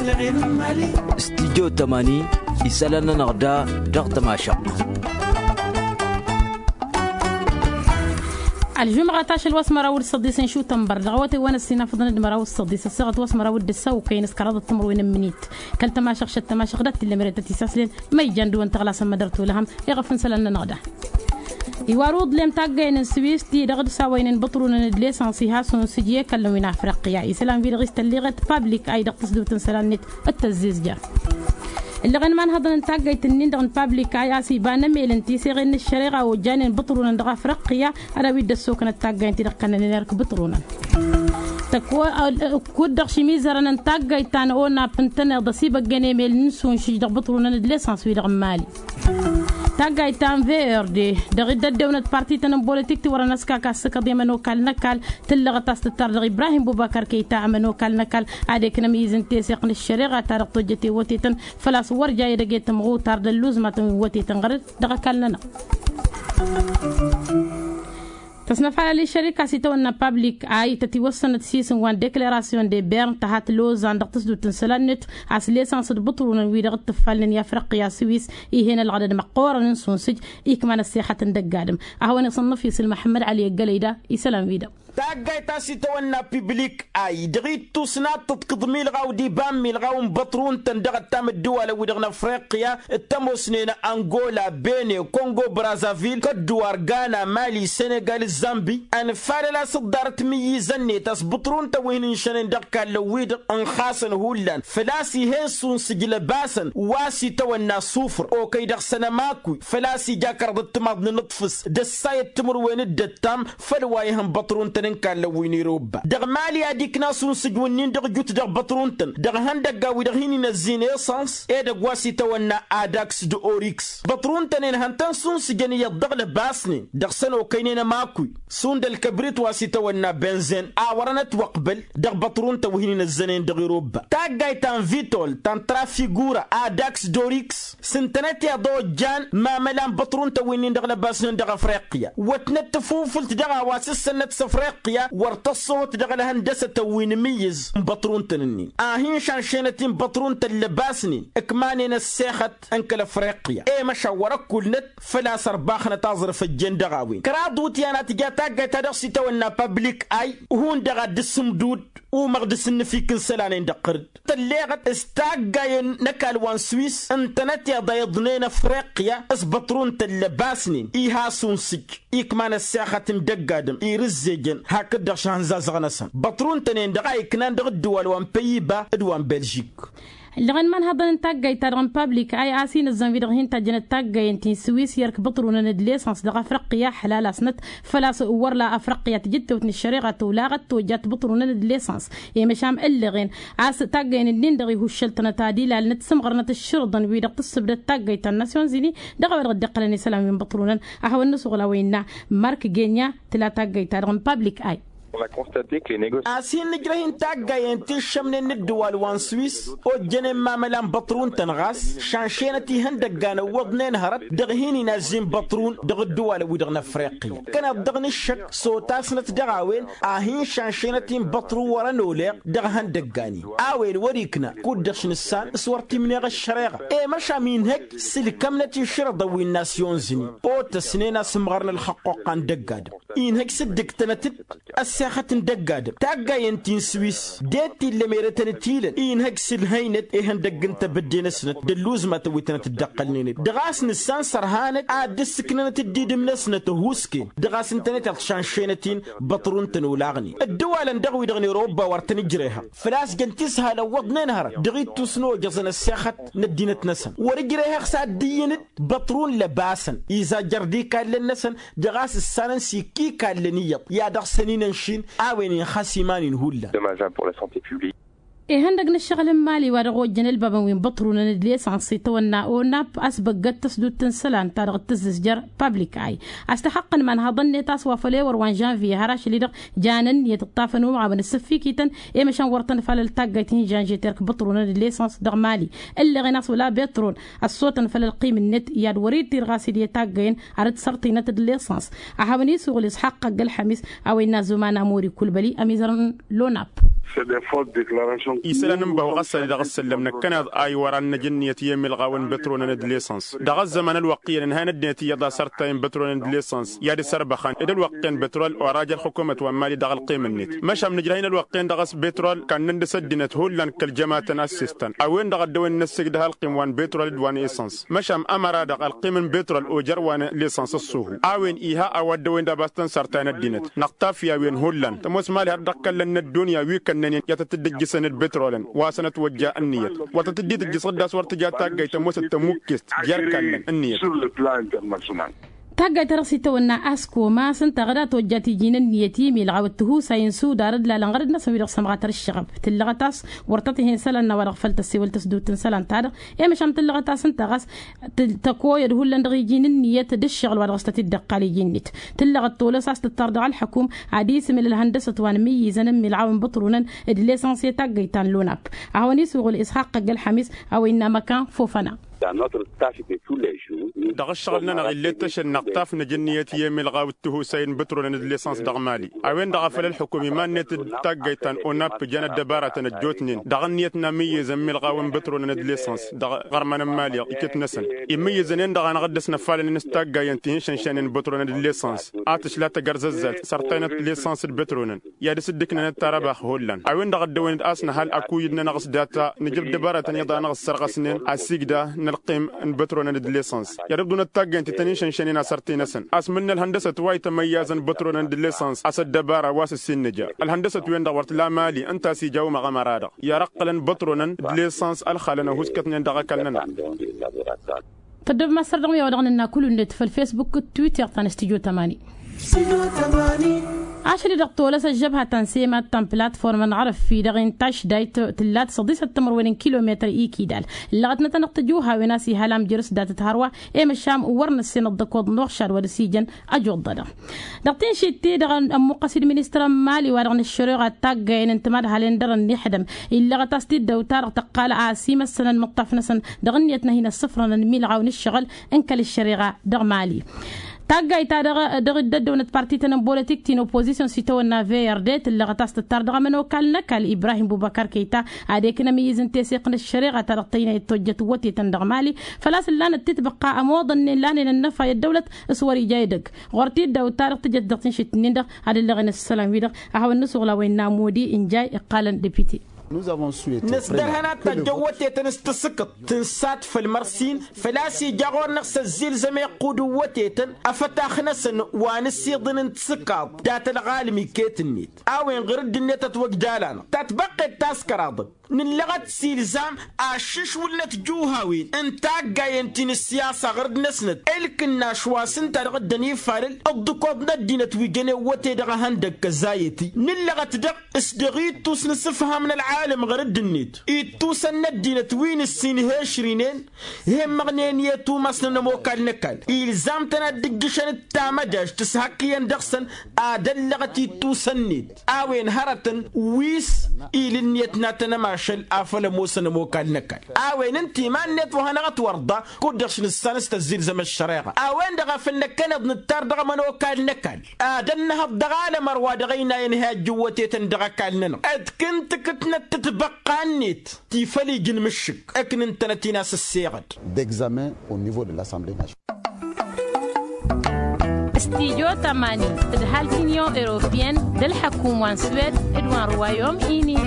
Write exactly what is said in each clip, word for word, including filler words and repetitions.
Studyo tămani isălan-nănăɣ da dăɣ-tămašăɣt. Ălžumɣa tašăl wa s-măraw d-săḍis n-šutănbăr dăɣ-awătay wa n-ăssinafăḍăn d-măraw d-săḍis ăssaɣăt wa s-măraw d-ăssawăkăyăn s-kăraḍăt timǝrwen n-minit kăl-tămašăɣ šăt tămašăɣ dat-t-illa merătăt isaslăn ma ijan dăwăn tăɣlasăn mădăr tulăhăm iɣăf n-isălan-nănăɣ da. Iwaruḍlem taggăyăn n-swis ti-dăɣ d-sawăynen băṭrunăn d-lesăns iha sunsǝj i-kăllăn wi n-afriqya isălan wi-dăɣ istălliɣăt pablik ay dăɣ-tăsdut n-isălan-net d-tăzzizja. Ǝllăɣăn imanhăḍăn n-taggăyt-nin-dăɣ n-pablik ay a-s iba n-emel n-tiseɣen n-ăššăreɣa ojjanen băṭrunăn dăɣ-afriqya ad-awi dd-ăssoknăt taggăyăn ti-dăɣ kănnănen erk băṭrunăn. Tăkk-wăr kud-dăɣ šimizărăn n-taggăyt ta n-onap ǝntăneḍ ăsibăggen emel n-sunsǝj dăɣ-băṭrunăn d-lesăns wi-dăɣ n-mali. Taggayt ta n-vrd dăɣ-dd-ăddewnăt parti-tăn n-bolitik ti wărăn ăskak a-s s-kăḍi ămănokal n-ăkall tǝllăɣăt a-s tǝttar dăɣ-ibrahim bubăkăr kăyta ămănokal n-ăkall ad-eknăm izǝn teseɣt n-ăššăreɣa ta dăɣ-tojjăt i-wătetăn făl-a-s wăr ja edăgg i-tǝmɣutar d-ălluẓ ma tăn-wătetăn ɣăr-dd dăɣ-ăkall-nănăɣ. Tăsnăfalăl i-šărik a-s itawănna pablik a itătiwăssănăt sisǝn wa n-deklerasyon de bern tăhat lozan dăɣ-tǝsdut n-isălan-net a-s lesăns d-băṭrunăn wi-dăɣ t-tǝffalnen i-afriqya swis ih'-en ălɣădăd măqqoorăn n-sunsǝj ikman ăssexăt n-dăgg-adǝm. A hawăn-iṣănnăf isǝl măḥămmăd ali ăggălăy da isălan wi-dăɣ. Taggayt a-s itawănna piblik ay dăɣ-ittus n-ad-tǝḍkǝḍ milɣaw d-iba n-milɣaw n-băṭrun-tăn dăɣ-ăttam ǝddǝwalăn-wi-dăɣ n-afriqya d-tămoosnen angola bene kongo brazavil kădduwar gana mali senegal zambi. Ănfalăl a-s ǝḍḍarăt imǝyyǝzăn-net a-s băṭrun-tăn wi hin-ǝnšănen dăɣ-ikallăn-wi-dăɣ ǝnxasăn hullan făl-a-s ih'-en sunsǝj lăbasăn wa s-itawănna sufr okăy dăɣ-săn ămakkuy făl-a-s ija kăraḍăt timaḍ n-inǝṭfǝs d-ăssayăt timǝrwen d-ăttam făll-wa ihăn băṭrun-tăn n-ikallăn wi n-irobba dăɣ-mali ad-ikna sunsǝj-wǝnnin dăɣ-ijut dăɣ-băṭrun-tăn dăɣ-ihăndăgga wi-dăɣ hin-inăzzin esăns edăgg wa s-itawănna adaks d-oriks. Băṭrun-tăn-en hăn tăn-sunsǝjăn iyyăḍ dăɣ-lăbasnen dăɣ-săn okăynen ămakkuy šund ălkăbrit wa s-itawănna benzen a wărăn ătwăqbăl dăɣ-băṭrun-tăn wi hin-inăzzănen dăɣ-irobba taggayt ta n-vitol ta n-trafigura adaks d-oriks s-ǝntănăt iḍa ojjan mamăla n-băṭrun-tăn wi-nin dăɣ-lăbasnen dăɣ-afriqya wătnăt tafufǝlt dăɣ-a-wa s-ǝssănnăt s-afriqya wăr tăṣṣohăt dăɣ-ălhăndăsătăn wi n-imǝyyǝz n-băṭrun-tăn-nin a hin-šanšenăt-in băṭrun-tăn lăbasnen ǝkmanen ăssexăt n-kăl-afriqya i-măšan wăr-ăkkulnăt făl-a-s ărbaxnăt aẓrǝf ăjjeen dăɣ-a-wen kăraḍ iwǝtyan a tǝja taggayt ta dăɣ-s itawănna pablik ay hundăɣ ad-dd-sǝmdud umăɣ d-asǝnnǝfik n-isălan-en dăɣ-tărǝd tălleɣăt s-taggayen n-ăkall wa n-swis ǝntănăt iḍa iḍnen afriqya s-băṭrun-tăn lăbasnen iha sunsǝj ikman ăssexăt n-dăgg-adǝm irǝzzejăn hakd-dăɣ šăhăn zazăɣ-năsăn băṭrun-tăn-en-dăɣ a iknan dăɣ-ǝddǝwal wa n-păyiba d-wa n-belžik. Ǝllăɣăn imanhăḍăn n-taggayt-ta-dăɣ n-pablik ay a-s inǝzzăn wi-dăɣ hin-tajjănăt taggayen ti n-swis i-erk băṭrunăn d-lesăns dăɣ-afriqya ăḥlalasnăt făl-a-s wăr la afriqya tǝjǝttewt n-ăššăreɣa tolaɣăt tojjat băṭrunăn d-lesăns i-măšan ǝllăɣen a-s taggayen-nin-dăɣ ihuššăl-tănăt ad-ilalnăt sǝmɣărnăt ăšširǝḍăn wi-dăɣ tǝssǝbdăd taggayt ta n-nasyon zini dăɣ-a-wa dăɣ-dd-iqqălăn isălan wi n-băṭrunăn. A hawăn-nǝsuɣǝl a-wa innă mark genya tǝla taggayt-ta-dăɣ n-pablik ay. A-s hin-nǝjrăh-in taggayen ti ǝššămnen n-ǝddǝwal wa n-swis ojjănen mamăla n-băṭrun-tăn ɣas šanšenăt ihăndăgga n-ăwwăḍnen hărăt dăɣ-hin-inazzi n-băṭrun dăɣ-ǝddǝwalăn-wi-dăɣ n-afriqya. Kăneḍ dăɣ-inǝššăk s-otasnăt dăɣ-a-wen a hin-šanšenăt-in băṭrun wăr-ănoleɣ dăɣ-ihăndăggan-in a-wen wăr-ikna kud-dăɣ š-nǝssan s-wăr t-imneɣ ăššăreɣa i-măšan inhăj s-ǝlkămnăt išrǝḍăn wi n-nasyon zǝni otăsnen a-s ǝmɣărăn ălxăqqoqqa n-dăgg-adǝm. Inhăj s-dd-ǝktănăt-dd ăssexăt n-dăgg-adǝm taggayen ti n-swis d-e-t illa merătăn ătilăn inhăj s-ǝlhăynăt ihăndăgg n-tebădde-năsnăt d-ălluẓmatăn wi tănăt-dd-ăqqălnen-dd dăɣ-a-s nǝssan sărhanăt ad-dd-ǝssǝknănăt dd-idǝm-năsnăt ăhuusken dăɣ-a-s ǝntănet iḍ šanšenăt-in băṭrun-tăn olaɣnen ăddăwalăn dăɣ-wi-dăɣ n-erobba wăr tăn-ǝjrehăɣ făl-a-s jăn tishal ăwwăḍnen hărăt dăɣ-ittus n-ojăẓăn ăssexăt n-ăddinăt-năsăn wăr-ǝjrehăɣ s-ad-dd-iyyăn-dd băṭrun lăbasăn izajjăr d-ikallăn-năsăn dăɣ-a-s ǝssanăn s-ikk'-ikallăn iyyăḍ i-ad-dăɣ-săn inănšin a-wen inxas iman-in hullan. Ihăndăg n-ǝššăɣǝl n-imali wa dăɣ-ojjăn ălbabăn wi n-băṭrunăn d-lesăns itawănna onap a-s băggăt tăsdut n-isălan ta dăɣ-tǝzzǝzjăr pablik ay a-s tăxăqqăn imanhăḍăn-net a-s wa făl ewăr wa n-žănviye har ašăl-i-dăɣ janăn iyyăt ǝṭṭafăn umɣabăn ǝssǝffikităn i-măšan wăr tăn-ăfalăl taggayt hin-žănžet erk băṭrunăn d-lesăns dăɣ-mali ǝlleɣen a-s wăla betron ăssotăn făll-ălqim-net i-ad-wăr-dd-tirɣas idǝy taggăyăn ar dd-sărtăynăt d-lesăns. A hawăn-isuɣǝl isxaqq ăgg-ălxămis a-wa innă ăzzuman amori kulbăli ămizărăn lonap. Isălan n-bahu ɣas ad-dăɣ-s săllăm năkkăneḍ a iwăran năj ǝnniyăt i-emilɣaw n-bătronăn d-lesăns dăɣ-ăzzăman ălwăqq iyyăn ǝnhayăn ăddinăt iyyăḍ a-s ărtayăn bătronăn d-lesăns i-ad-ăsărbăxăn d-ălwăqq-en bătrol oraj ălxukumăt wa n-mali dăɣ-ălqim-net. Măšan nǝjrăh-in ălwăqq-en-dăɣ a-s bătrol kannăn dăɣ-s ăddinăt hullan kăl-jămatăn a ǝssistăn a-wen-dăɣ a dd-ăwănăn ăssiigdăh ălqim wa n-bătrol d-wa n-esăns. Măšan ămăra-dăɣ ălqim n-bătrol ojăr wa n-lesăns ăṣṣuhu a-wen iha a-wa dd-ăwăyăn d-abas tăn-sărtayăn ăddinăt. Năɣtaf i-a-wen hullan tămoos mali har dăɣ-kăllăn n-ăddunya wi kănnănen i-ad-tăt-dd-ǝjjǝsăn d-bătrolăn wa săn ătwăjja ǝnniyăt wa tăt-dd-itǝjjǝs ɣǝddas wăr tǝja taggayt tămoosăt tămukkest jer-kallăn ǝnniyăt. Taggayt-ta-dăɣ s-itawănna asko ma s-ǝnta ɣǝd a tăwăjja tiji n-ǝnniyăt i-milɣaw d-tihusay n-sudar d-lalăn ɣărăd-năsăn wi-dăɣ sămɣatăr ǝššăɣăb tǝllăɣăt a-s wăr tăt-ihi n-isălan n-a-wa-dăɣ făl tăssewăl tăsdut n-isălan-ta-dăɣ. I-măšan tǝllăɣăt a-s ǝnta ɣas tăkoyăd hullan dăɣ-iji n-ǝnniyăt d-ǝššăɣǝl wa dăɣ-s tăt-dd-ăqqal iji-net. Tǝllăɣăt tolăs a-s tǝttar dăɣ-ălḥăkum ad-isǝmǝl ălhăndăsăt wa n-imǝyyǝzăn n-milɣaw n-băṭrunăn d-lesăns i-taggăyt ta n-lunap. A hawăn-isuɣǝl ishaq ăgg-ălxămis a-wa innă măkan fofăna. Dăɣ-ǝššăɣǝl-nănăɣ ill'-e ǝttăšăl năɣtaf năj ǝnniyăt i-emilɣaw d-tihusay n-bătronăn d-lesăns dăɣ-mali. A-wen-dăɣ a făl ălxukum iman-net d-taggayt ta n-onap ǝjăn ăddăbaratăn ăjjootnen dăɣ-ǝnniyăt n-amǝyyǝz n-milɣaw n-bătronăn d-lesăns dăɣ-iɣărman n-mali iket-năsăn. Imǝyyǝzăn-en-dăɣ a năɣ-dd-ăsnăfalăn n-s taggayăn ti hin-šănšănen bătronăn d-lesăns a tǝšla tăgărzăzzalt sărtăynăt lesăns d-bătronăn i-ad-dăɣ-s dd-ǝknănăt tarăbax hullan a-wen-dăɣ dd-ăwăyăn-dd a-s năhăl akuyǝd-nănăɣ s-data nǝjrǝb dăbaratăn iyyăḍ a năɣ-ǝssărɣăsnen. Ăssiigda n-ălqim n-bătronăn d-lesăns i-ad-ăbdunăt taggayăn ti tăn-in-šănšănen asăr ti-năsăn a-s mǝnnă ălhăndăsăt wa itămăyyazăn bătronăn d-lesăns a-s ăddăbara wa s-ǝssin nǝja. Ălhăndăsăt-wen-dăɣ wăr t-la mali ǝnta a-s ija umăɣ ămăra-dăɣ i-ad-ăqqălăn bătronăn d-lesăns ălxalăn ăhuskătnen dăɣ-ăkall-nănăɣ. Tăddobem a-s săr dăɣ-mi a-wa dăɣ-nǝnna kull-net făll-fesbuk d-twitter ta n-stujo tămani. Ašăl-i-dăɣ tolăs ăžžăbha ta n-semat ta n-platform n-arăffi dăɣ-intaš dayt tǝllat săḍisăt timărwen n-kilometăr ikidal. Ǝllăɣătnăt-anăɣ tăjuhawen a-s ihal amjăr s-datăt hărwa i-măšan wăr năssen ăḍḍăkoḍ n-uɣšad wa dăɣ-s ijăn. Ăjuḍḍădăɣ dăɣ-tinšit-ti-dăɣ ămmuqqăs-dd ministăr n-mali wa dăɣ-nǝššăreɣa d-taggayen n-timadhalen dăr-ănnixdăm illăɣăt-as-t-dd dăw-ta-dăɣ tăqqal a-s imăssănăn imǝṭṭaf-năsăn. Dăɣ-ǝnniyăt n-ad-hin-ăssǝfrănăn imilɣaw n-ǝššăɣǝl n-kăl-ăššăreɣa dăɣ-mali. Taggayt-ta-dăɣ dăɣ-dd-ăddăwnăt parti-tăn n-bolotik ti n-oppozisyon s-itawănna vrd tǝllăɣăt a-s tǝttar dăɣ-ămănokal n-ăkall ibrahim bubăkar kăyta ad-ekǝn ămǝyyǝz n-teseɣt n-ăššăreɣa-ta-dăɣ tăynayăt tojjăt wătetăn dăɣ-mali. Făl-a-s ǝllanăt titbăqqa ămoḍănnen lanen ănnăfa i-ăddăwlăt s-wăr-ija edăgg ɣur-t-dd-awǝt-ta-dăɣ tǝjăt dăɣ-tinšit-nin-dăɣ. Ad-ǝllăɣen s-isălan-wi-dăɣ a hawăn-nǝsuɣǝl a-wa innă modi ǝnjay iqqalăn depite. Nǝsdărhăn ad-tajjăn wătetăn s-tǝsǝkkăḍt tǝnsat făll-mărsin făl-a-s ija ɣur-năɣ s-ăzzilzăm iqqud n-wătetăn afătax-năsăn wa n-ǝssiḍǝn n-tisǝkkaḍt dat-ălɣalăm iket-net. A-wen ɣǝr-dd-net ătwăgdal-anăɣ tatbăqqet ta s-kăraḍăn nǝllăɣăt s-ilzam ašǝšwǝlnăt juhawen n-taggayen ti n-ǝssiyasa ɣǝr-dd-năsnăt. Ǝlkǝnnaš wa s-ǝnta-dăɣ dd-ănifalăl ǝḍḍǝkoḍ n-ăddinăt wi jănen wăte dăɣ-ehăndăg kăzzayăt-i nǝllăɣăt-dăɣ s-dăɣ-ittus n-asǝfham n-ălɣalăm ɣǝr-dd-net. Ittusăn n-ăddinăt wi n-ǝssin hešrinen hemmăɣnen i-ătumasnăn ămokal n-ăkall ilzam-tăn ad-dd-ǝjjǝšăn d-tamăjajt s-hak iyyăn dăɣ-săn. Ad-ăllăɣăt ittusăn-net a-wen hărătăn wi s-ila ǝnniyăt n-ad-tăn-ămašăl afăl ămoosăn ămokal n-ăkall. A-wen ǝnta iman-net wa hanăɣ-ătwărḍa kud-dăɣ-š nǝssan s-tăzzilzăm ăššăreɣa a-wen-dăɣ a făl năkkăneḍ nǝttar dăɣ-ămănokal n-ăkall. Ad-ănnăhăḍ dăɣ-alămăr wa dăɣ-ăynayăn hi-ajjǝw wătetăn dăɣ-ăkall-nănăɣ ădkǝntǝkǝtnăt tǝtbăqqa-net ti făl ija n-imǝššǝk ǝknǝntănăt-in a-s ăsseɣăd. Degzamen au nivo de l-assemble nationale. Studyo tămani tǝdhal t-inyon europeyăn d-ălḥăkum wa n-swed d-wa n-ruwayom ini.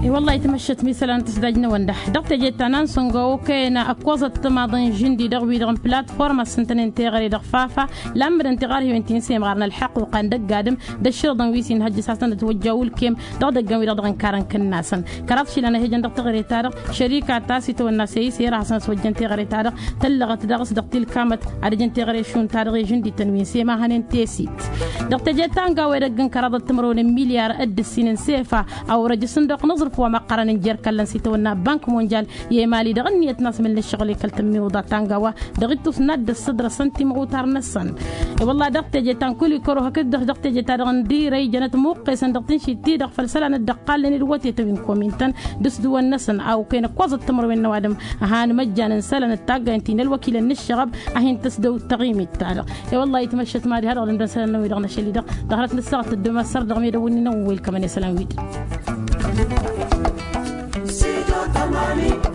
I-wăllah itmăššăt misălan tǝsdaj n-awănda dăɣ-teje ta n-ansăngo okăyăn ăkkoẓăt timaḍ n-žǝndi dăɣ-wi-dăɣ n-platform ăssintănen teɣăre dăɣ-fafa. Lammădăn tiɣarhiwen ti n-semɣar n-ălḥăqquqa n-dăgg-adǝm d-ăšširǝḍăn wi s-inhăjjǝs hasăn-ătwăjja ulkem dăɣ-idăggan wi-dăɣ dăɣ-inkar n-kǝnnasăn. Kăraḍ išilan a hi-ijăn dăɣ-teɣăre-ta-dăɣ šărika ta s-itawănna seyise i-ad-hasăn-ăswăjjăn teɣăre-ta-dăɣ tăllăɣăt daɣ s-dăɣ tilkamăt ad-ǝjǝn teɣăre šund-ta-dăɣ i-žǝndităn wi n-semahănen tesit. Dăɣ-teje ta n-gawe idăgg n-kăraḍăt timărwen n-milyar d-ǝssin n-sefa a wăr-ăj s-ǝndoq n-aẓrǝf. wa măqqărăn n-jer-kăllăn s-itawănna bank monjal i-emali dăɣ-ǝnniyăt n-asmǝl n-ǝššăɣǝl i-kăl-tǝmmiwǝḍa ta n-gawa dăɣ-ittus n-ad-dd-ăssădrăsăn timɣutar-năsăn. I-wălla dăɣ-teje ta n-kul-i kăruhăk d-dăɣ-teje ta dăɣ-n dirăy jănăt muqqesăn dăɣ-tǝnšit-ti-dăɣ făll-isălan dd-ăqqalnen d-wătetăn wi n-komin-tăn d-ǝsdǝwăn-năsăn a okăyăn ǝkkoẓăt timărwen n-ăwadǝm. Ăhan măjjan n-isălan d-taggaynt-i n-ălwăkilăn n-ǝššăɣăb a hin-tǝsdăw taɣimit-ta-dăɣ. I-wălla-hi tmăššăt mad-iha dăɣ-dăndăn isălan-năwăn-wi-dăɣ n-ašăl-i-dăɣ dăɣ-hărăt n-ǝssaɣăt tăddomas săr-dăɣ medăwwǝnni n-ăwwel kămăn isălan-wi-dăɣ. Sidon tamani.